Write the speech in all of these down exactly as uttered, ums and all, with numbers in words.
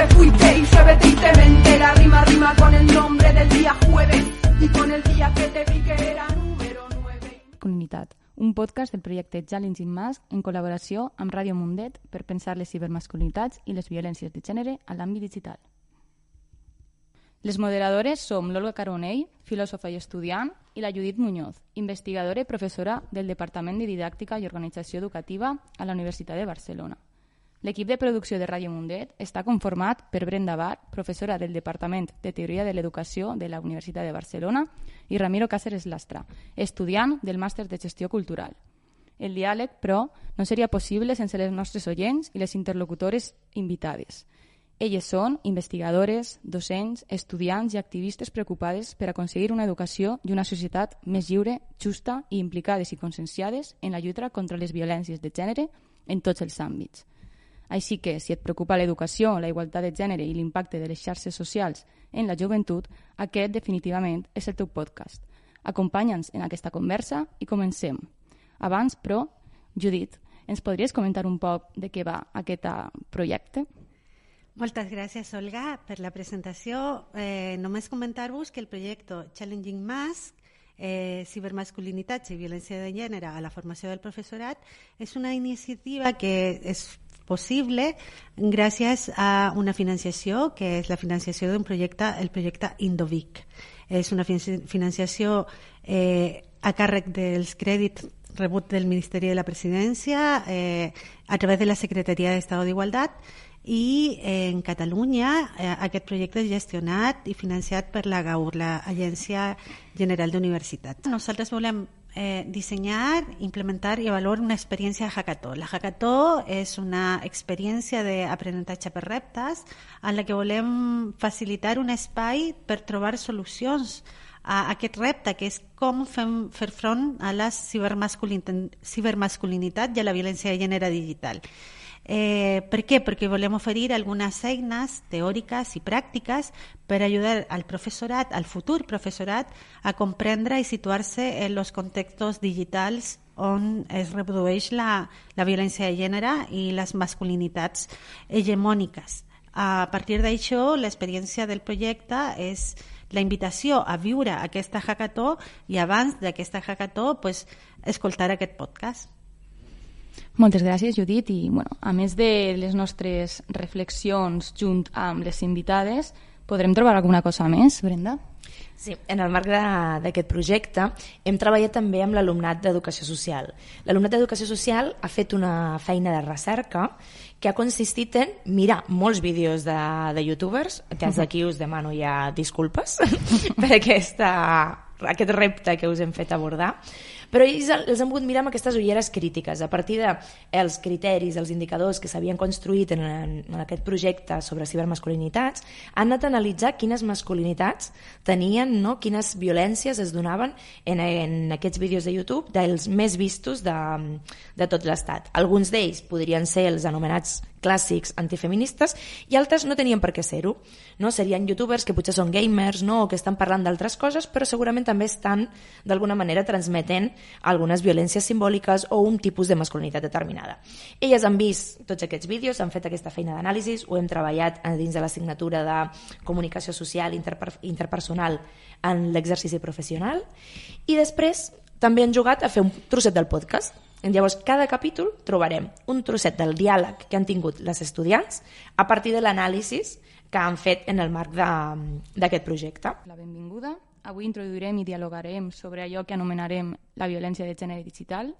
te fuiste y llueve tristemente. La rima rima con el nombre del día jueves y con el día que te vi que era número nueve. Masculinitat, un podcast del projecte Challenging Mask en col·laboració amb Ràdio Mundet per pensar les cibermasculinitats i les violències de gènere a l'àmbit digital. Les moderadores som l'Olga Caronell, filòsofa i estudiant, i la Judit Muñoz, investigadora i professora del Departament de Didàctica i Organització Educativa a la Universitat de Barcelona. L'equip de producció de Ràdio Mundet està conformat per Brenda Bar, professora del Departament de Teoria de l'Educació de la Universitat de Barcelona, i Ramiro Cáceres Lastra, estudiant del Màster de Gestió Cultural. El diàleg, però, no seria possible sense les nostres oients i les interlocutores invitades. Elles són investigadores, docents, estudiants i activistes preocupades per aconseguir una educació i una societat més lliure, justa i implicades i conscienciades en la lluita contra les violències de gènere en tots els àmbits. Així que, si et preocupa l'educació, la igualtat de gènere i l'impacte de les xarxes socials en la joventut, aquest definitivament és el teu podcast. Acompanya'ns en aquesta conversa i comencem. Abans, però, Judit, ens podries comentar un poc de què va aquest projecte? Moltes gràcies, Olga, per la presentació. Eh, només comentar-vos que el projecte Challenging Mask, eh, cibermasculinitats i violència de gènere a la formació del professorat, és una iniciativa que és possible gràcies a una financiació, que és la financiació d'un projecte, el projecte Indovic. És una financiació eh, a càrrec dels crèdits rebut del Ministeri de la Presidència eh, a través de la Secretaria d'Estat d'Igualtat, i eh, en Catalunya eh, aquest projecte és gestionat i financiat per la GAUR, l'Agència General d'Universitats. Nosaltres volem eh, dissenyar, implementar i avaluar una experiència de hackathon. La hackathon és una experiència d'aprenentatge per reptes en la que volem facilitar un espai per trobar solucions a aquest repte, que és com fem, fer front a la cibermasculinitat i a la violència de gènere digital. Eh, per què? Perquè volem oferir algunes eines teòriques i pràctiques per ajudar al professorat, al futur professorat, a comprendre i situar-se en els contextos digitals on es reprodueix la, la violència de gènere i les masculinitats hegemòniques. A partir d'això, l'experiència del projecte és la invitació a viure aquesta hackathon i abans d'aquesta hackathon pues, escoltar aquest podcast. Moltes gràcies, Judit. I, bueno, a més de les nostres reflexions junt amb les invitades, podrem trobar alguna cosa més, Brenda? Sí, en el marc d'aquest projecte hem treballat també amb l'alumnat d'Educació Social. L'alumnat d'Educació Social ha fet una feina de recerca que ha consistit en mirar molts vídeos de, de youtubers, que des d'aquí us demano ja disculpes per aquesta, aquest repte que us hem fet abordar, però ells els han pogut mirar amb aquestes ulleres crítiques. A partir dels criteris, els indicadors que s'havien construït en, en aquest projecte sobre cibermasculinitats, han anat a analitzar quines masculinitats tenien, no? Quines violències es donaven en, en aquests vídeos de YouTube dels més vistos de, de tot l'estat. Alguns d'ells podrien ser els anomenats clàssics antifeministes i altres no tenien per què ser-ho. No? Serien youtubers que potser són gamers, no? O que estan parlant d'altres coses, però segurament també estan d'alguna manera transmetent algunes violències simbòliques o un tipus de masculinitat determinada. Elles han vist tots aquests vídeos, han fet aquesta feina d'anàlisi, ho hem treballat dins de l'assignatura de comunicació social interper interpersonal en l'exercici professional i després també han jugat a fer un trosset del podcast. Llavors, cada capítol trobarem un trosset del diàleg que han tingut les estudiants a partir de l'anàlisi que han fet en el marc d'aquest projecte. La benvinguda. Avui introduirem i dialogarem sobre allò que anomenarem la violència de gènere digital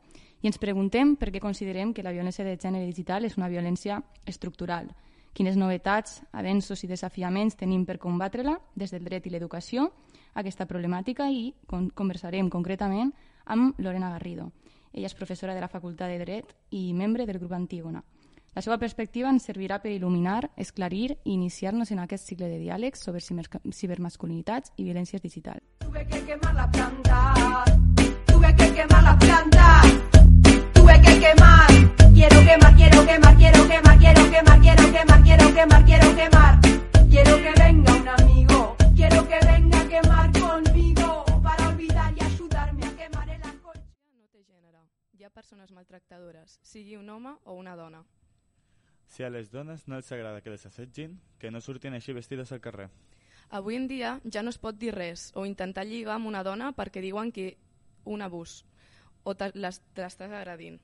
i ens preguntem per què considerem que la violència de gènere digital és una violència estructural, quines novetats, avenços i desafiaments tenim per combatre-la des del dret i l'educació, aquesta problemàtica, i conversarem concretament amb Lorena Garrido. Ella és professora de la Facultat de Dret i membre del grup Antígona. La seva perspectiva ens servirà per il·luminar, esclarir i iniciar-nos en aquest cicle de diàlegs sobre cibermasculinitats i violències digitals. Tuve que quemar la planta, tuve que quemar la planta, tuve que quemar, quiero quemar, quiero quemar, quiero quemar, quiero quemar, quiero quemar, quiero quemar, quiero quemar, quiero que venga un amigo, quiero que venga a quemar conmigo para olvidar y ayudarme a quemar el alcohol. No té gènere, hi ha persones maltractadores, sigui un home o una dona. Si a les dones no els agrada que les assetgin, que no surtin així vestides al carrer. Avui en dia ja no es pot dir res o intentar lligar amb una dona perquè diuen que un abús o te l'estàs agredint.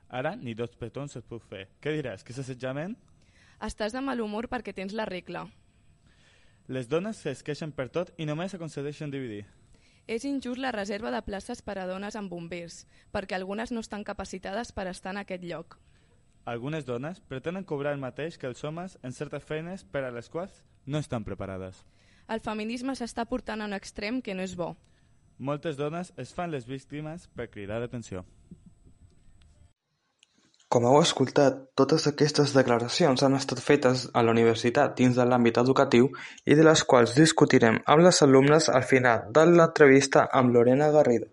Ara ni dos petons es pot fer. Què diràs, que és assetjament? Estàs de mal humor perquè tens la regla. Les dones es queixen per tot i només aconsegueixen dividir. És injust la reserva de places per a dones amb bombers, perquè algunes no estan capacitades per estar en aquest lloc. Algunes dones pretenen cobrar el mateix que els homes en certes feines per a les quals no estan preparades. El feminisme s'està portant a un extrem que no és bo. Moltes dones es fan les víctimes per cridar l'atenció. Com heu escoltat, totes aquestes declaracions han estat fetes a la universitat dins de l'àmbit educatiu i de les quals discutirem amb les alumnes al final de l'entrevista amb Lorena Garrido.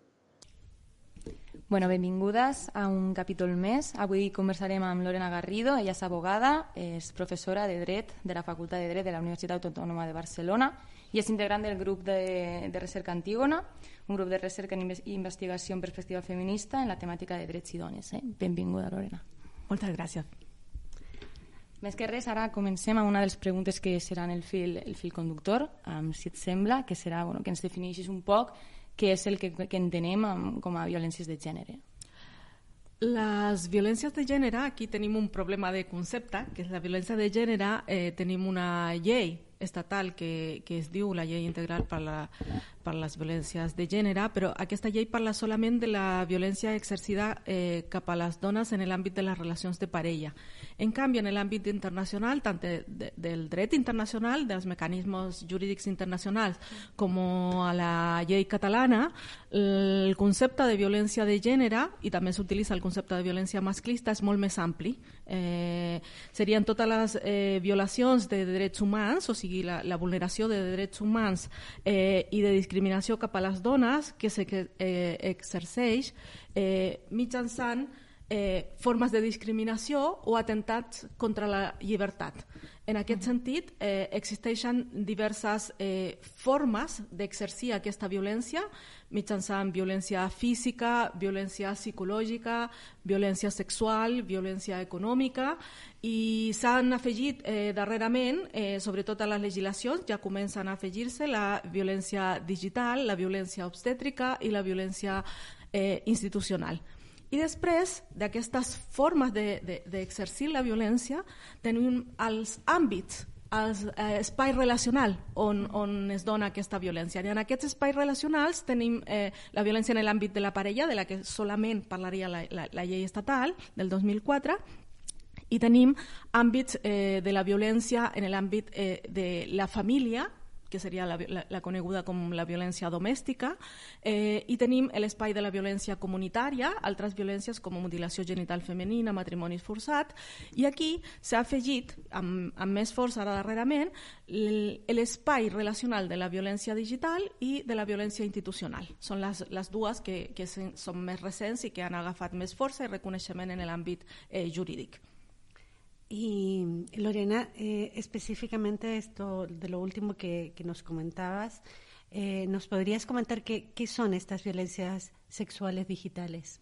Bueno, benvingudes a un capítol més. Avui conversarem amb Lorena Garrido. Ella és abogada, és professora de Dret de la Facultat de Dret de la Universitat Autònoma de Barcelona i és integrant del grup de, de recerca Antígona, un grup de recerca i investigació en perspectiva feminista en la temàtica de drets i dones. Eh? Benvinguda, Lorena. Moltes gràcies. Més que res, ara comencem amb una de les preguntes que seran el fil, el fil conductor, um, si et sembla, que serà bueno, que ens defineixis un poc què és el que, que entenem com a violències de gènere. Les violències de gènere, aquí tenim un problema de concepte, que és la violència de gènere, eh, tenim una llei estatal que, que es diu la Llei Integral per, la, per les Violències de Gènere, però aquesta llei parla solament de la violència exercida eh, cap a les dones en l'àmbit de les relacions de parella. En canvi, en l'àmbit internacional, tant de, de, del dret internacional, dels mecanismes jurídics internacionals, com a la llei catalana, el concepte de violència de gènere, i també s'utilitza el concepte de violència masclista, és molt més ampli. Eh, serien totes les eh, violacions de drets humans, o sigui, la, la vulneració de drets humans eh, i de discriminació cap a les dones que s'exerceix eh, mitjançant eh, formes de discriminació o atentats contra la llibertat. En aquest sentit, eh, existeixen diverses eh, formes d'exercir aquesta violència mitjançant violència física, violència psicològica, violència sexual, violència econòmica, i s'han afegit eh, darrerament, eh, sobretot a les legislacions, ja comencen a afegir-se la violència digital, la violència obstètrica i la violència eh, institucional. I després d'aquestes formes d'exercir de, de, la violència tenim els àmbits, els eh, espais relacionals on, on es dona aquesta violència. I en aquests espais relacionals tenim eh, la violència en l'àmbit de la parella, de la que solament parlaria la, la, la llei estatal del dos mil quatre, i tenim àmbits eh, de la violència en l'àmbit eh, de la família, que seria la, la, la coneguda com la violència domèstica, eh, i tenim l'espai de la violència comunitària, altres violències com mutilació genital femenina, matrimoni forçat, i aquí s'ha afegit, amb, amb més força ara darrerament, l'espai relacional de la violència digital i de la violència institucional. Són les, les dues que, que són més recents i que han agafat més força i reconeixement en l'àmbit eh, jurídic. Y Lorena, eh, específicamente esto de lo último que, que nos comentabas, eh, ¿nos podrías comentar qué, qué son estas violencias sexuales digitales?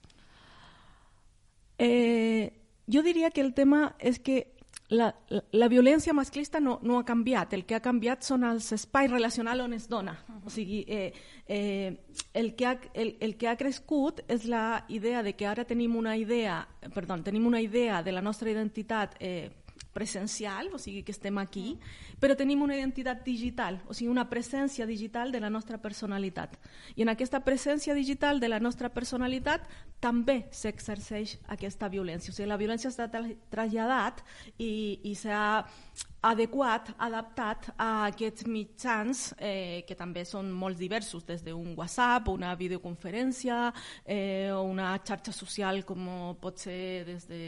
Eh, yo diría que el tema es que la, la, la violència masclista no, no ha canviat. El que ha canviat són els espais relacionals on es dona. O sigui, eh, eh, el, que ha, el, el que ha crescut és la idea de que ara tenim una idea, perdó, tenim una idea de la nostra identitat eh, presencial, o sigui que estem aquí, però tenim una identitat digital, o sigui una presència digital de la nostra personalitat. I en aquesta presència digital de la nostra personalitat també s'exerceix aquesta violència. O sigui, la violència s'ha traslladat i, i s'ha adequat, adaptat a aquests mitjans eh, que també són molt diversos, des d'un WhatsApp, una videoconferència, eh, o una xarxa social com pot ser des de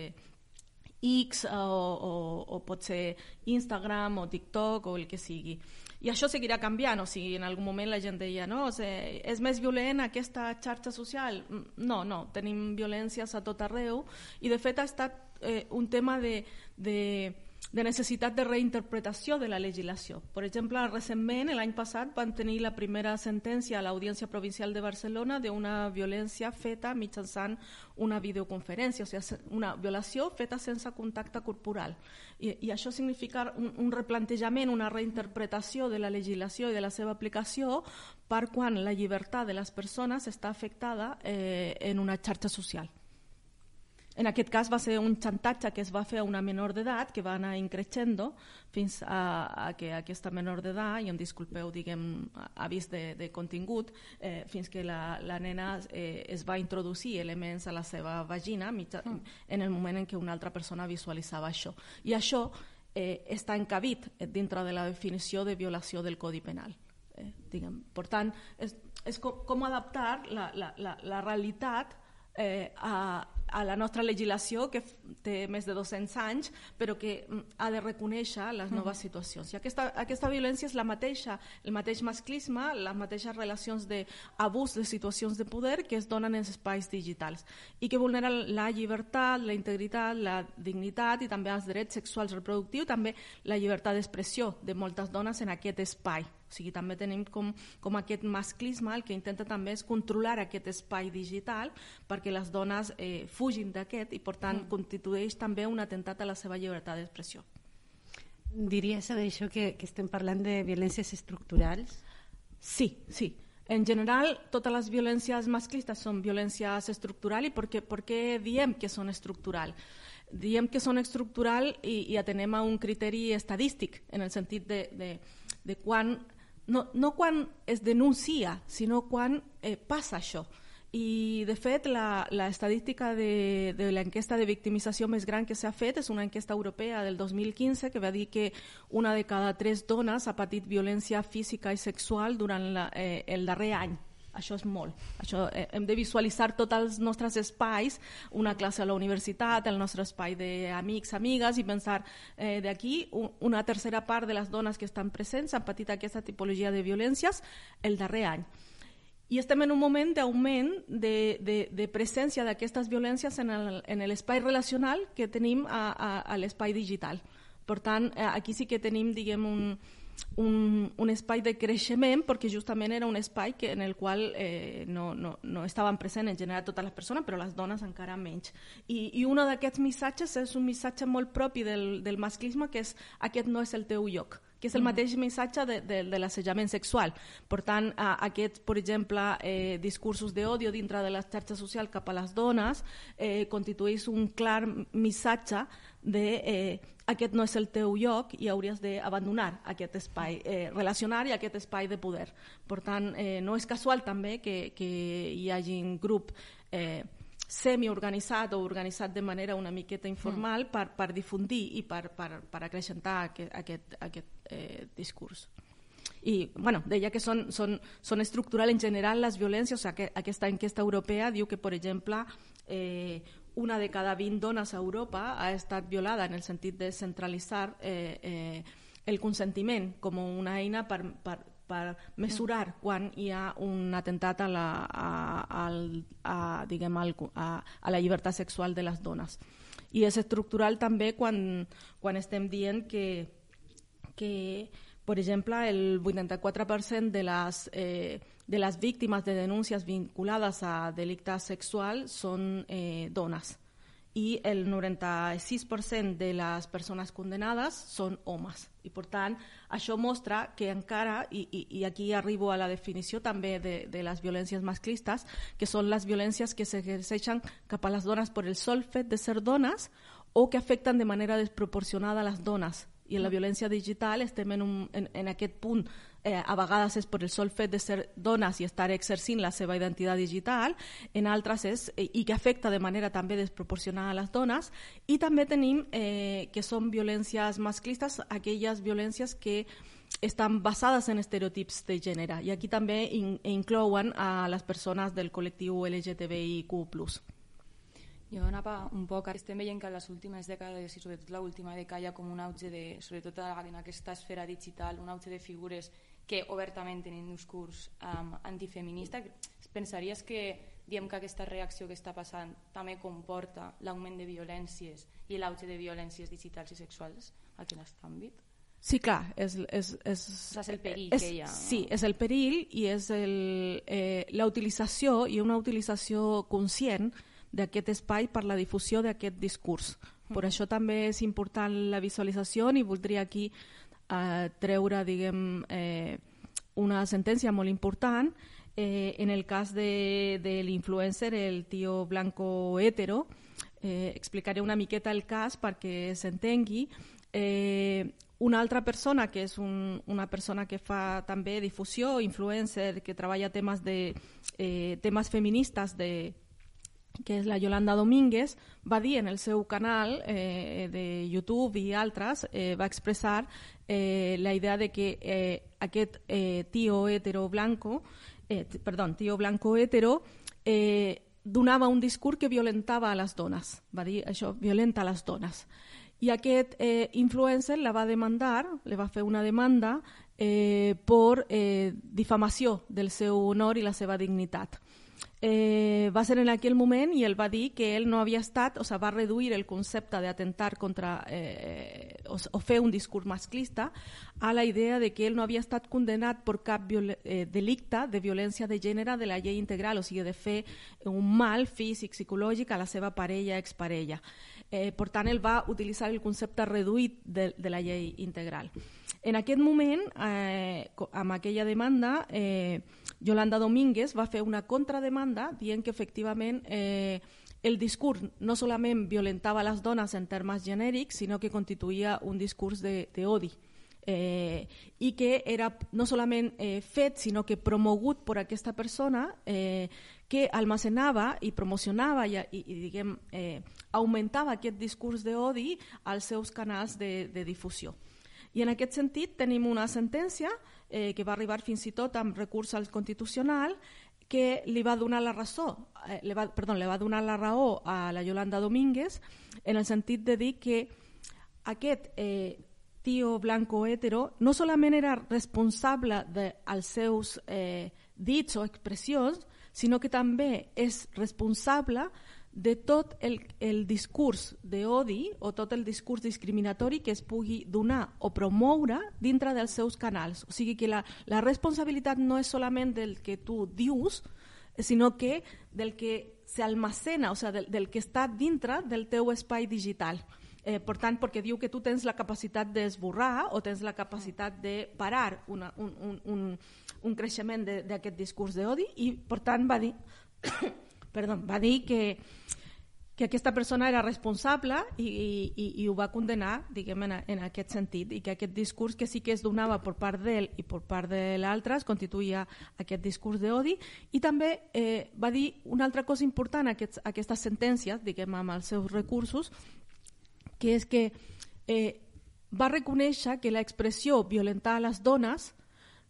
X o, o, o pot ser Instagram o TikTok o el que sigui. I això seguirà canviant, o sigui, en algun moment la gent deia, no, o sigui, és més violent aquesta xarxa social? No, no, tenim violències a tot arreu i de fet ha estat eh, un tema de, de, de necessitat de reinterpretació de la legislació. Per exemple, recentment, l'any passat, van tenir la primera sentència a l'Audiència Provincial de Barcelona d'una violència feta mitjançant una videoconferència, o sigui, una violació feta sense contacte corporal. I, i això significa un, un replantejament, una reinterpretació de la legislació i de la seva aplicació per quan la llibertat de les persones està afectada eh, en una xarxa social. En aquest cas va ser un xantatge que es va fer a una menor d'edat que va anar increixendo fins a, a que aquesta menor d'edat, i em disculpeu, diguem, avís de, de contingut, eh, fins que la, la nena eh, es va introduir elements a la seva vagina mitja, en el moment en què una altra persona visualitzava això. I això eh, està encabit dintre de la definició de violació del Codi Penal. Eh, diguem. Per tant, és, és com, com adaptar la, la, la, la realitat eh, a a la nostra legislació, que té més de dos-cents anys, però que ha de reconèixer les noves situacions. I aquesta, aquesta violència és la mateixa, el mateix masclisme, les mateixes relacions d'abús de situacions de poder que es donen en espais digitals i que vulneren la llibertat, la integritat, la dignitat i també els drets sexuals reproductius, també la llibertat d'expressió de moltes dones en aquest espai. O sigui, també tenim com, com aquest masclisme, el que intenta també és controlar aquest espai digital perquè les dones eh, fugin d'aquest i, per tant, mm. constitueix també un atemptat a la seva llibertat d'expressió. Diries amb això que, que estem parlant de violències estructurals? Sí, sí. En general, totes les violències masclistes són violències estructurals. I per què, per què diem que són estructurals? Diem que són estructurals i, i atenem a un criteri estadístic, en el sentit de, de, de quan, no, no quan es denuncia, sinó quan eh, passa això. I, de fet, la, la estadística de, de l'enquesta de victimització més gran que s'ha fet és una enquesta europea del dos mil quinze que va dir que una de cada tres dones ha patit violència física i sexual durant la, eh, el darrer any. Això és molt. Això, eh, hem de visualitzar tots els nostres espais, una classe a la universitat, el nostre espai d'amics, amigues, i pensar eh, d'aquí un, una tercera part de les dones que estan presents han patit aquesta tipologia de violències el darrer any. I estem en un moment d'augment de, de, de presència d'aquestes violències en, el, en l'espai relacional que tenim a, a, a l'espai digital. Per tant, aquí sí que tenim, diguem, un, un, un espai de creixement, perquè justament era un espai que, en el qual eh, no, no, no estaven presents en general totes les persones, però les dones encara menys. I, i un d'aquests missatges és un missatge molt propi del, del masclisme, que és aquest no és el teu lloc, que és el mateix missatge de, de, de l'assetjament sexual. Per tant, aquests, per exemple, eh, discursos d'odio dintre de les xarxes socials cap a les dones eh, constitueix un clar missatge de eh, aquest no és el teu lloc i hauries d'abandonar aquest espai eh, relacional i aquest espai de poder. Per tant, eh, no és casual també que, que hi hagi un grup eh, semi-organitzat o organitzat de manera una miqueta informal mm. per, per difundir i per, per, per acrescentar aquest, aquest, aquest eh, discurs. I bueno, deia que són, són, són estructurals en general les violències. O sigui, aquesta enquesta europea diu que, per exemple, eh, una de cada vint dones a Europa ha estat violada, en el sentit de centralitzar eh, eh, el consentiment com una eina per, per, per mesurar quan hi ha un atemptat a la, a, a, a, diguem, a, a la llibertat sexual de les dones. I és estructural també quan, quan estem dient que, que, per exemple, el vuitanta-quatre per cent de les, eh, de les víctimes de denúncies vinculades a delictes sexuals són eh, dones. I el noranta-sis per cent de les persones condenades són homes. I, per tant, això mostra que encara, i, i, i aquí arribo a la definició també de, de les violències masclistes, que són les violències que s'exerceixen cap a les dones per el sol fet de ser dones o que afecten de manera desproporcionada a les dones. I en la violència digital estem en, un, en, en aquest punt. Eh, a vegades és per el sol fet de ser dones i estar exercint la seva identitat digital, en altres és, eh, i que afecta de manera també desproporcionada a les dones, i també tenim eh, que són violències masclistes, aquelles violències que estan basades en estereotips de gènere, i aquí també in, inclouen a les persones del col·lectiu L G T B I Q plus. Jo anava un poc, estem veient que en les últimes dècades i sobretot l'última dècada hi ha com un auge de, sobretot en aquesta esfera digital, un auge de figures que obertament tenen un discurs um, antifeminista. Pensaries que diem que aquesta reacció que està passant també comporta l'augment de violències i l'auge de violències digitals i sexuals aquí en aquest àmbit? Sí, clar, és, és, és, és el perill és, que hi ha. Sí, és el perill i és el, eh, la utilització i una utilització conscient d'aquest espai per la difusió d'aquest discurs. Per mm. això també és important la visualització i voldria aquí eh, treure, diguem, eh, una sentència molt important. Eh, en el cas de, de l'influencer, el tio blanco hetero, eh, explicaré una miqueta el cas perquè s'entengui. Eh, una altra persona, que és un, una persona que fa també difusió, influencer, que treballa temes, de, eh, temes feministes, de, que és la Yolanda Domínguez, va dir en el seu canal eh, de YouTube i altres, eh, va expressar eh, la idea de que eh, aquest eh, tio hetero blanco, eh, perdó, tio blanco hetero, eh, donava un discurs que violentava a les dones. Va dir això, violenta a les dones. I aquest eh, influencer la va demandar, le va fer una demanda eh, per eh, difamació del seu honor i la seva dignitat. Eh, va ser en aquell moment i ell va dir que ell no havia estat, o sigui, va reduir el concepte d'atentar contra eh, o, o fer un discurs masclista a la idea de que ell no havia estat condenat per cap eh, delicte de violència de gènere de la llei integral, o sigui, de fer un mal físic, psicològic a la seva parella, exparella. Eh, per tant, ell va utilitzar el concepte reduït de, de la llei integral. En aquest moment, eh, amb aquella demanda, eh, Yolanda Domínguez va fer una contrademanda dient que efectivament eh, el discurs no solament violentava les dones en termes genèrics, sinó que constituïa un discurs d'odi. Eh, i que era no solament eh, fet, sinó que promogut per aquesta persona eh, que almacenava i promocionava i, i, i diguem, eh, augmentava aquest discurs d'odi als seus canals de, de difusió. I en aquest sentit tenim una sentència eh, que va arribar fins i tot amb recurs al Constitucional que li va donar la raó, eh, li va, perdó, li va donar la raó a la Yolanda Domínguez en el sentit de dir que aquest eh, tio blanco hetero no solament era responsable dels seus eh, dits o expressions, sinó que també és responsable de tot el, el discurs d'odi o tot el discurs discriminatori que es pugui donar o promoure dintre dels seus canals. O sigui que la, la responsabilitat no és solament del que tu dius, sinó que del que s'almacena, o sigui, del, del que està dintre del teu espai digital. Eh, per tant, perquè diu que tu tens la capacitat d'esborrar o tens la capacitat de parar una, un, un, un, un creixement d'aquest discurs d'odi i, per tant, va dir... Perdó, va dir que, que aquesta persona era responsable i, i, i ho va condenar, diguem, en, en aquest sentit, i que aquest discurs que sí que es donava per part d'ell i per part de l'altre es constituïa aquest discurs d'odi. I també eh, va dir una altra cosa important, aquests, aquestes sentències, diguem, amb els seus recursos, que és que eh, va reconèixer que l'expressió violentar a les dones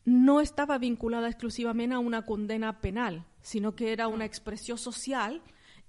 no estava vinculada exclusivament a una condena penal, sinó que era una expressió social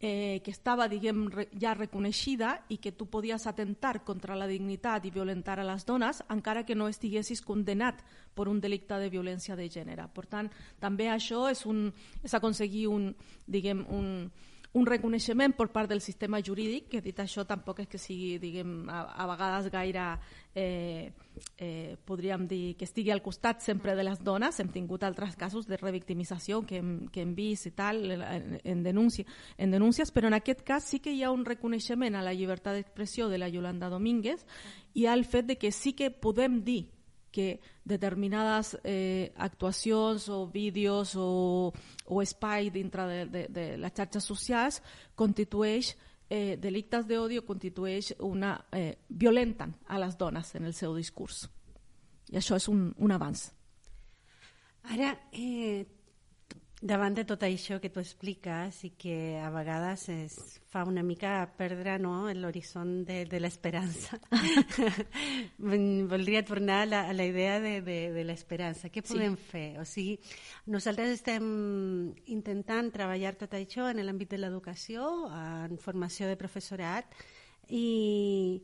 eh, que estava, diguem, re, ja reconeixida i que tu podies atentar contra la dignitat i violentar a les dones encara que no estiguessis condenat per un delicte de violència de gènere. Per tant, també això és, un, és aconseguir un, diguem, un, un reconeixement per part del sistema jurídic, que dit això tampoc és que sigui, diguem, a, a vegades gaire, eh, eh, podríem dir, que estigui al costat sempre de les dones. Hem tingut altres casos de revictimització que hem, que hem vist i tal, en, en, denúncia, en denúncies, però en aquest cas sí que hi ha un reconeixement a la llibertat d'expressió de la Yolanda Domínguez i al fet de que sí que podem dir que determinades eh, actuacions o vídeos o, o espai dintre de, de, de les xarxes socials constitueix eh, delictes d'odi o constitueix una... Eh, violenten a les dones en el seu discurs. I això és un, un avanç. Ara, eh, davant de tot això que tu expliques i que a vegades es fa una mica perdre, no, l'horitzó de, de l'esperança, voldria tornar a la, a la idea de, de, de l'esperança. Què podem sí. fer? O sigui, nosaltres estem intentant treballar tot això en l'àmbit de l'educació, en formació de professorat, i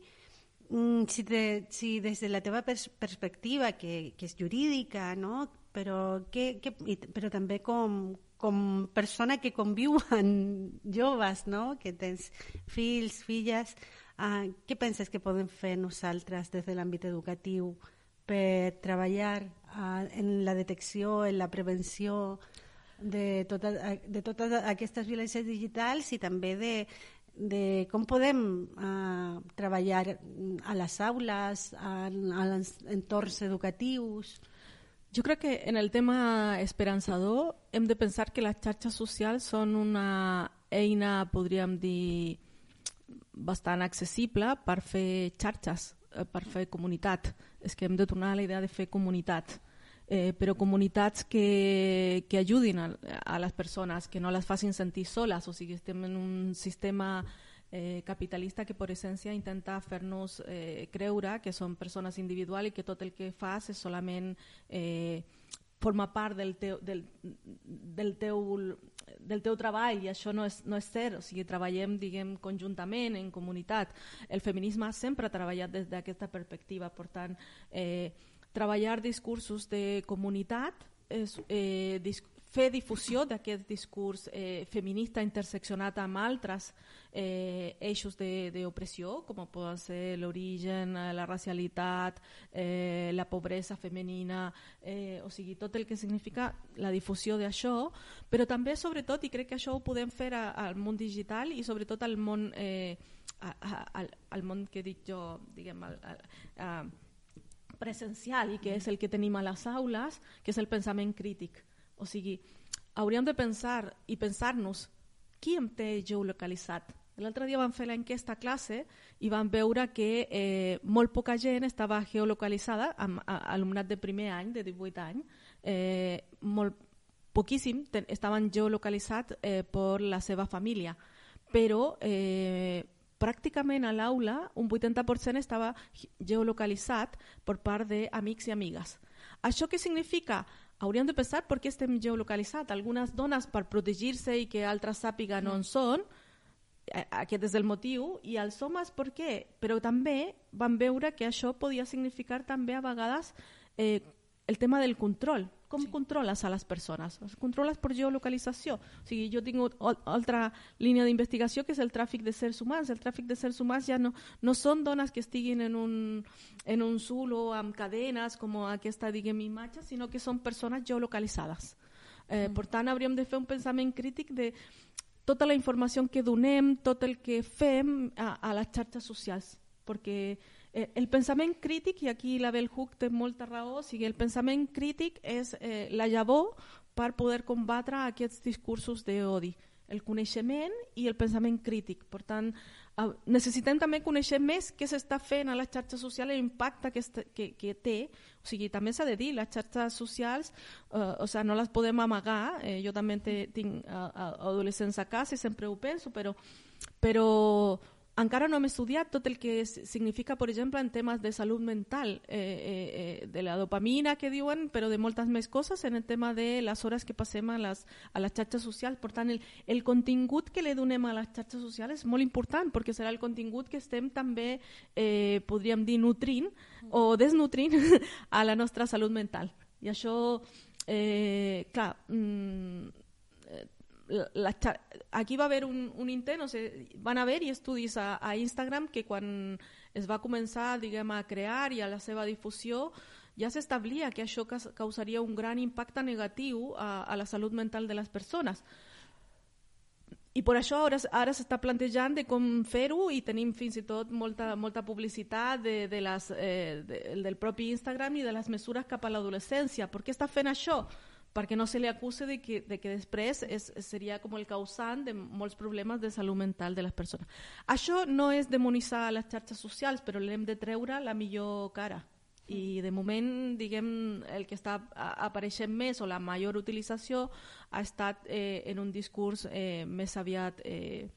si, te, si des de la teva pers perspectiva, que, que és jurídica, no? Però, que, que, però també com, com persona que conviu amb joves, no? Que tens fills, filles, uh, què penses que podem fer nosaltres des de l'àmbit educatiu per treballar uh, en la detecció, en la prevenció de, tota, de totes aquestes violències digitals i també de, de com podem uh, treballar a les aules, en, en els entorns educatius? Jo crec que en el tema esperançador hem de pensar que les xarxes socials són una eina, podríem dir, bastant accessible per fer xarxes, per fer comunitat. És que hem de tornar a la idea de fer comunitat, eh, però comunitats que, que ajudin a, a les persones, que no les facin sentir soles. O sigui, estem en un sistema Eh, capitalista que per essència intenta fer-nos eh, creure que som persones individuals i que tot el que fas és solament eh, forma part del teu, del, del, teu, del teu treball, i això no és, no és cert. O sigui, treballem, diguem, conjuntament, en comunitat. El feminisme sempre ha treballat des d'aquesta perspectiva. Per tant, eh, treballar discursos de comunitat és eh, discursos fer difusió d'aquest discurs eh, feminista interseccionat amb altres eh, eixos d'opressió, com poden ser l'origen, la racialitat, eh, la pobresa femenina, eh, o sigui, tot el que significa la difusió d'això, però també, sobretot, i crec que això ho podem fer a, al món digital i sobretot al món, eh, a, a, al, al món que dic jo, diguem, al, al, a, presencial, i que és el que tenim a les aules, que és el pensament crític. O sigui, hauríem de pensar i pensar-nos qui em té geolocalitzat. L'altre dia vam fer l'enquesta a classe i vam veure que eh, molt poca gent estava geolocalitzada, amb a, alumnat de primer any, de divuit anys, eh, molt poquíssim ten, estaven geolocalitzats eh, per la seva família, però eh, pràcticament a l'aula un vuitanta per cent estava geolocalitzat per part d'amics i amigues. Això què significa? Hauríem de pensar per què estem geolocalitzats. Algunes dones per protegir-se i que altres sàpiguen on són, aquest és el motiu, i els homes per què? Però també van veure que això podia significar també a vegades eh, el tema del control. Com sí. controles a les persones? Les controles per geolocalització. O sigui, jo tinc altra línia d'investigació que és el tràfic de sers humans. El tràfic de sers humans ja no, no són dones que estiguin en un, en un zulo amb cadenes, com aquesta, diguem, imatge, sinó que són persones geolocalitzades. Eh, mm. Per tant, hauríem de fer un pensament crític de tota la informació que donem, tot el que fem a, a les xarxes socials, perquè eh, el pensament crític, i aquí la Bell Hooks té molta raó, o sigui, el pensament crític és eh, la llavor per poder combatre aquests discursos d'odi, el coneixement i el pensament crític. Per tant, eh, necessitem també conèixer més què s'està fent a les xarxes socials, l'impacte que, que, que té. O sigui, també s'ha de dir, les xarxes socials eh, o sigui, no les podem amagar. Eh, jo també te, tinc uh, adolescents a casa i sempre ho penso, però, però encara no hem estudiat tot el que significa, per exemple, en temes de salut mental, eh, eh, de la dopamina que diuen, però de moltes més coses en el tema de les hores que passem a les, a les xarxes socials. Per tant, el, el contingut que li donem a les xarxes socials és molt important, perquè serà el contingut que estem també, eh, podríem dir, nutrint o desnutrint a la nostra salut mental. I això, eh, clar, mm, La, aquí va haver un, un intent, o sigui, van haver-hi estudis a, a Instagram que quan es va començar, diguem, a crear i a la seva difusió ja s'establia que això causaria un gran impacte negatiu a, a la salut mental de les persones. I per això ara, ara s'està plantejant de com fer-ho, i tenim fins i tot molta, molta publicitat de, de les, eh, de, del propi Instagram i de les mesures cap a l'adolescència. Per què està fent això? Perquè no se li acuse de que, de que després és, seria com el causant de molts problemes de salut mental de les persones. Això no és demonitzar les xarxes socials, però l'hem de treure la millor cara. I de moment, diguem, el que està apareixent més o la major utilització ha estat eh, en un discurs eh, més aviat eh,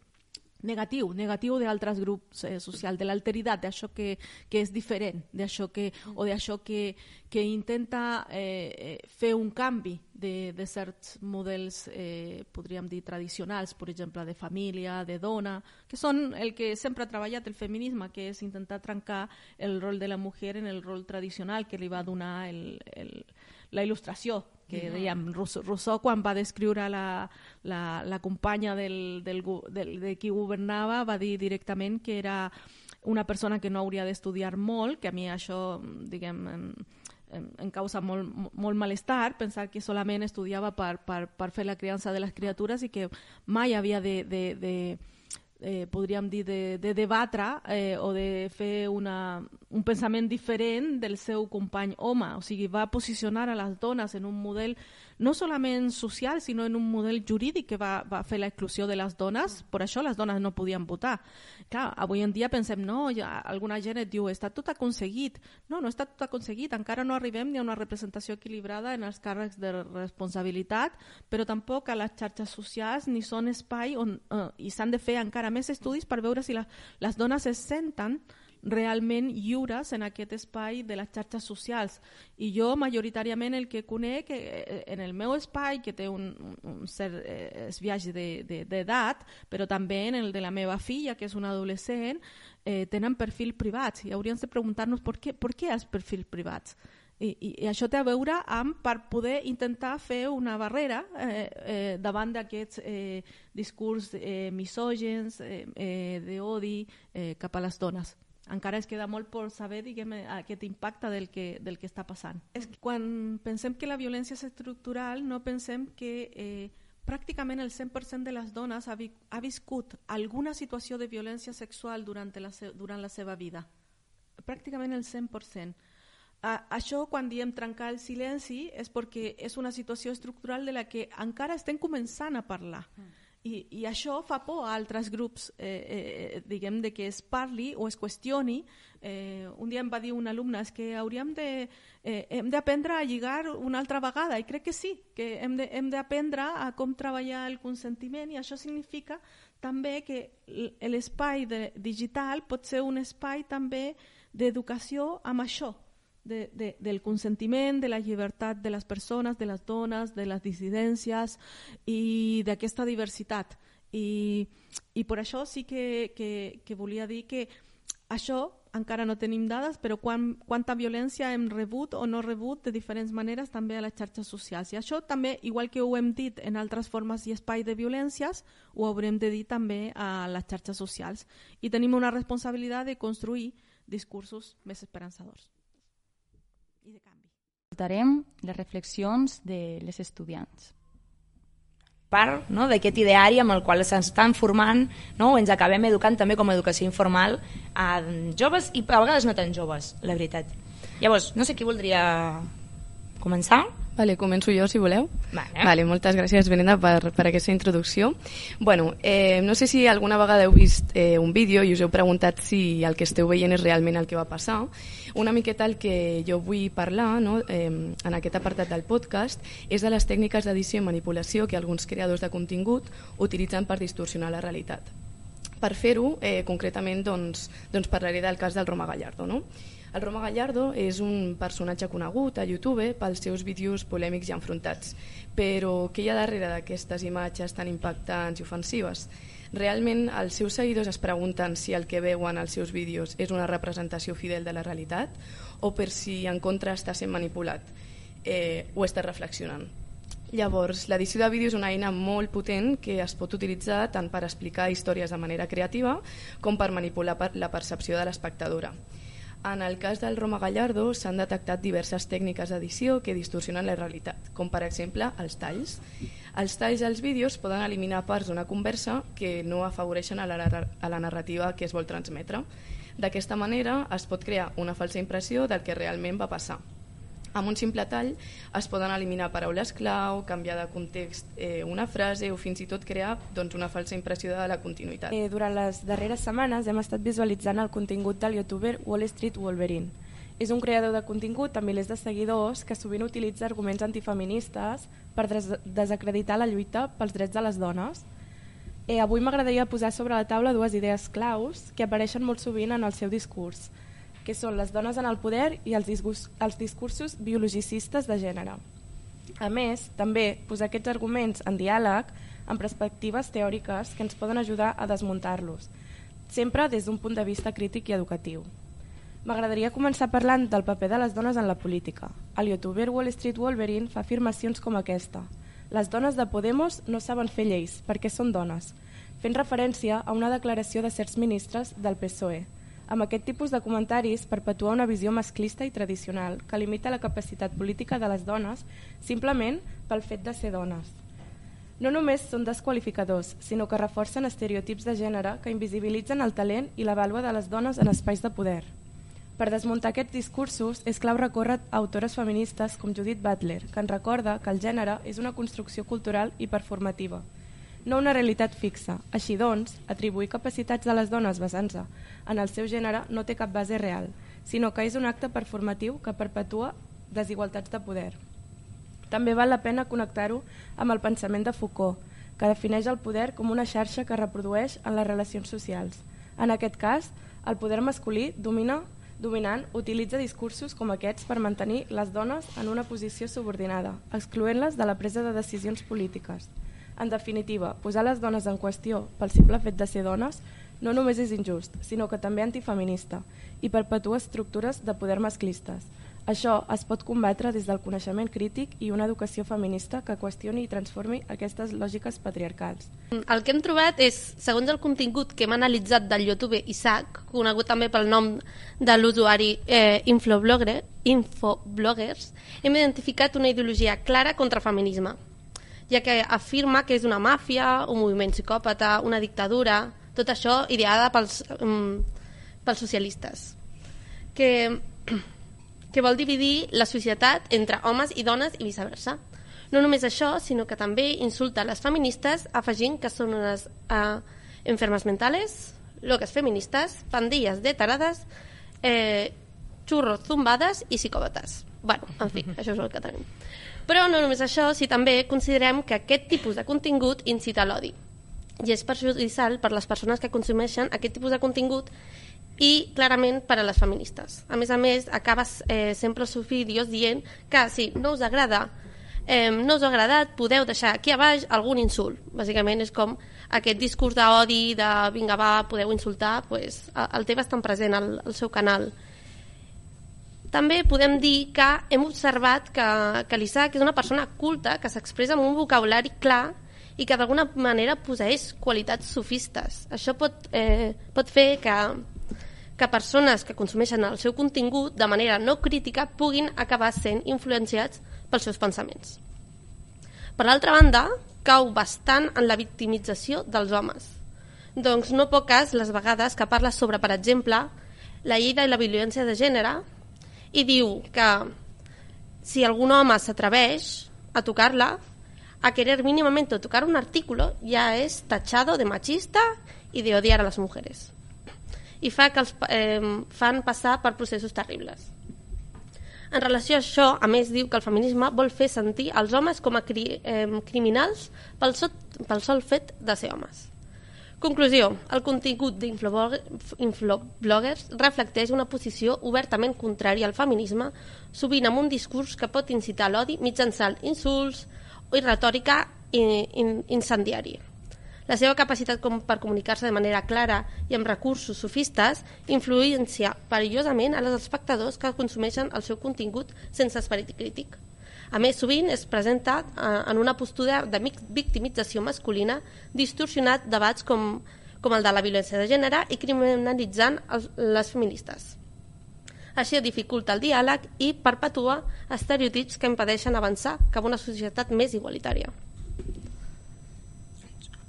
negatiu, negatiu d'altres grups eh, socials, de l'alteritat, d'això que, que és diferent, d'això que, o d'això que, que intenta eh, fer un canvi de, de certs models, eh, podríem dir, tradicionals, per exemple, de família, de dona, que són el que sempre ha treballat el feminisme, que és intentar trencar el rol de la mujer en el rol tradicional que li va donar el, el, la il·lustració, que dèiem, Rousseau, Rousseau quan va descriure la, la, la companya del, del, del, de qui governava va dir directament que era una persona que no hauria d'estudiar molt, que a mi això, diguem, em, em, em causa molt, molt malestar, pensar que solament estudiava per, per, per fer la criança de les criatures i que mai havia de, de, de eh, podríem dir, de, de debatre eh, o de fer una, un pensament diferent del seu company home. O sigui, va posicionar a les dones en un model no solament social, sinó en un model jurídic que va, va fer l'exclusió de les dones. Per això les dones no podien votar. Clar, avui en dia pensem, no, ja, alguna gent et diu, està tot aconseguit. No, no està tot aconseguit, encara no arribem ni a una representació equilibrada en els càrrecs de responsabilitat, però tampoc a les xarxes socials ni són espai on eh, i s'han de fer encara més estudis per veure si la, les dones es senten realment lliures en aquest espai de les xarxes socials. I jo majoritàriament el que conec eh, en el meu espai, que té un, un cert eh, esbiaix d'edat, però també en el de la meva filla, que és una adolescent, eh, tenen perfils privats i hauríem de preguntar-nos per què, per què els perfils privats. I, i, i això té a veure amb per poder intentar fer una barrera eh, eh, davant d'aquests eh, discurs eh, misògens, eh, eh, d'odi eh, cap a les dones. Encara es queda molt per saber, diguem, aquest impacte del que, del que està passant. És que quan pensem que la violència és estructural, no pensem que eh, pràcticament el cent per cent de les dones ha, vi ha viscut alguna situació de violència sexual durant la, durant la seva vida. Pràcticament el cent per cent. Uh, això, quan diem trencar el silenci, és perquè és una situació estructural de la que encara estem començant a parlar. Mm. I, I això fa por a altres grups, eh, eh, diguem, de que es parli o es qüestioni. Eh, un dia em va dir un alumne és que hauríem de, eh, hem d'aprendre a lligar una altra vegada, i crec que sí, que hem de, hem d'aprendre a com treballar el consentiment, i això significa també que l'espai digital pot ser un espai també d'educació amb això, De, de, del consentiment, de la llibertat de les persones, de les dones, de les dissidències i d'aquesta diversitat. I, i per això sí que, que, que volia dir que això encara no tenim dades, però quan, quanta violència hem rebut o no rebut de diferents maneres també a les xarxes socials. I això també, igual que ho hem dit en altres formes i espais de violències, ho haurem de dir també a les xarxes socials. I tenim una responsabilitat de construir discursos més esperançadors. I de canvi. Escoltarem les reflexions de les estudiants. Part, no, d'aquest ideari amb el qual s'estan formant, no, o ens acabem educant també com a educació informal a joves i a vegades no tan joves, la veritat. Llavors, no sé qui voldria començar. Vale, començo jo, si voleu. Vale. Vale, moltes gràcies, Brenda, per, per aquesta introducció. Bueno, eh, no sé si alguna vegada heu vist eh, un vídeo i us heu preguntat si el que esteu veient és realment el que va passar. Una miqueta el que jo vull parlar, no, eh, en aquest apartat del podcast és de les tècniques d'edició i manipulació que alguns creadors de contingut utilitzen per distorsionar la realitat. Per fer-ho, eh, concretament, doncs, doncs parlaré del cas del Roma Gallardo, no? El Roma Gallardo és un personatge conegut a YouTube pels seus vídeos polèmics i enfrontats. Però què hi ha darrere d'aquestes imatges tan impactants i ofensives? Realment els seus seguidors es pregunten si el que veuen als seus vídeos és una representació fidel de la realitat o per si en contra està sent manipulat eh, o està reflexionant. Llavors, l'edició de vídeo és una eina molt potent que es pot utilitzar tant per explicar històries de manera creativa com per manipular la percepció de l'espectadora. En el cas del Roma Gallardo s'han detectat diverses tècniques d'edició que distorsionen la realitat, com per exemple els talls. Els talls als vídeos poden eliminar parts d'una conversa que no afavoreixen a la, a la narrativa que es vol transmetre. D'aquesta manera es pot crear una falsa impressió del que realment va passar. Amb un simple tall es poden eliminar paraules clau, canviar de context eh, una frase o fins i tot crear doncs, una falsa impressió de la continuïtat. Eh, durant les darreres setmanes hem estat visualitzant el contingut del youtuber Wall Street Wolverine. És un creador de contingut amb milers de seguidors que sovint utilitza arguments antifeministes per des desacreditar la lluita pels drets de les dones. Eh, avui m'agradaria posar sobre la taula dues idees claus que apareixen molt sovint en el seu discurs, que són les dones en el poder i els, els discursos biologicistes de gènere. A més, també posar aquests arguments en diàleg amb perspectives teòriques que ens poden ajudar a desmuntar-los, sempre des d'un punt de vista crític i educatiu. M'agradaria començar parlant del paper de les dones en la política. El youtuber Wall Street Wolverine fa afirmacions com aquesta. Les dones de Podemos no saben fer lleis perquè són dones, fent referència a una declaració de certs ministres del P S O E. Amb aquest tipus de comentaris perpetua una visió masclista i tradicional que limita la capacitat política de les dones simplement pel fet de ser dones. No només són desqualificadors, sinó que reforcen estereotips de gènere que invisibilitzen el talent i la vàlua de les dones en espais de poder. Per desmuntar aquests discursos és clau recórrer a autores feministes com Judith Butler, que ens recorda que el gènere és una construcció cultural i performativa, no una realitat fixa. Així doncs, atribuir capacitats a les dones basant-se en el seu gènere no té cap base real, sinó que és un acte performatiu que perpetua desigualtats de poder. També val la pena connectar-ho amb el pensament de Foucault, que defineix el poder com una xarxa que reprodueix en les relacions socials. En aquest cas, el poder masculí domina, dominant utilitza discursos com aquests per mantenir les dones en una posició subordinada, excloent-les de la presa de decisions polítiques. En definitiva, posar les dones en qüestió pel simple fet de ser dones no només és injust, sinó que també antifeminista i perpetua estructures de poder masclistes. Això es pot combatre des del coneixement crític i una educació feminista que qüestioni i transformi aquestes lògiques patriarcals. El que hem trobat és, segons el contingut que hem analitzat del YouTube Isaac, conegut també pel nom de l'usuari eh, Infoblogger, Infobloggers, hem identificat una ideologia clara contra el feminisme, ja que afirma que és una màfia, un moviment psicòpata, una dictadura, tot això ideada pels, um, pels socialistes, que, que vol dividir la societat entre homes i dones i viceversa. No només això, sinó que també insulta les feministes afegint que són unes uh, enfermes mentales, loques feministes, pandilles de tarades, eh, xurros zumbades i psicòpates. Bueno, en fi, això és el que tenim. Però no només això, si també considerem que aquest tipus de contingut incita a l'odi i és perjudicial per les persones que consumeixen aquest tipus de contingut i clarament per a les feministes. A més a més, acabes eh, sempre els seus vídeos dient que si no us agrada, eh, no us ha agradat, podeu deixar aquí a baix algun insult. Bàsicament és com aquest discurs d'odi, de vinga va, podeu insultar, pues, el té bastant present al, al seu canal. També podem dir que hem observat que, que l'Isaac és una persona culta que s'expressa amb un vocabulari clar i que d'alguna manera posseix qualitats sofistes. Això pot, eh, pot fer que, que persones que consumeixen el seu contingut de manera no crítica puguin acabar sent influenciats pels seus pensaments. Per l'altra banda, cau bastant en la victimització dels homes. Doncs no poques les vegades que parla sobre, per exemple, la llei de la violència de gènere i diu que si algun home s'atreveix a tocar-la, a querer mínimamente tocar un artículo, ya es tachado de machista y de odiar a les mujeres. I fa que els eh, fan passar per processos terribles. En relació a això, a més, diu que el feminisme vol fer sentir els homes com a cri eh, criminals pel, so pel sol fet de ser homes. Conclusió, el contingut d'Infobloggers reflecteix una posició obertament contrària al feminisme, sovint amb un discurs que pot incitar l'odi mitjançant insults i retòrica incendiària. La seva capacitat com per comunicar-se de manera clara i amb recursos sofistes influencia perillosament a els espectadors que consumeixen el seu contingut sense esperit crític. A més, sovint es presenta en una postura de victimització masculina, distorsionat debats com, com el de la violència de gènere i criminalitzant els, les feministes. Això dificulta el diàleg i perpetua estereotips que impedeixen avançar cap a una societat més igualitària.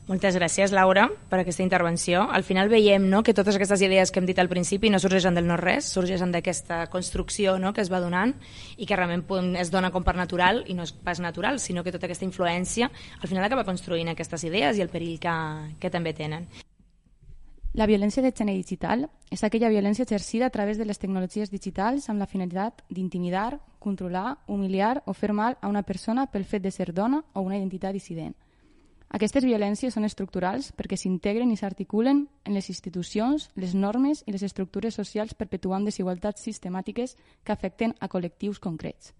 Moltes gràcies, Laura, per aquesta intervenció. Al final veiem, no?, que totes aquestes idees que hem dit al principi no sorgeixen del no-res, sorgeixen d'aquesta construcció, no?, que es va donant i que realment es dona com per natural i no és pas natural, sinó que tota aquesta influència al final acaba construint aquestes idees i el perill que, que també tenen. La violència de gènere digital és aquella violència exercida a través de les tecnologies digitals amb la finalitat d'intimidar, controlar, humiliar o fer mal a una persona pel fet de ser dona o una identitat dissident. Aquestes violències són estructurals perquè s'integren i s'articulen en les institucions, les normes i les estructures socials perpetuant desigualtats sistemàtiques que afecten a col·lectius concrets.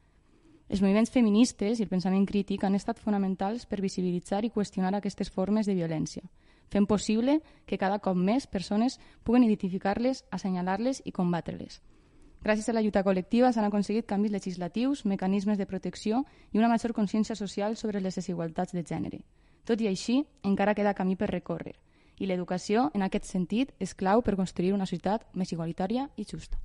Els moviments feministes i el pensament crític han estat fonamentals per visibilitzar i qüestionar aquestes formes de violència, fent possible que cada cop més persones puguen identificar-les, assenyalar-les i combatre-les. Gràcies a la lluita col·lectiva s'han aconseguit canvis legislatius, mecanismes de protecció i una major consciència social sobre les desigualtats de gènere. Tot i així, encara queda camí per recórrer, i l'educació, en aquest sentit, és clau per construir una societat més igualitària i justa.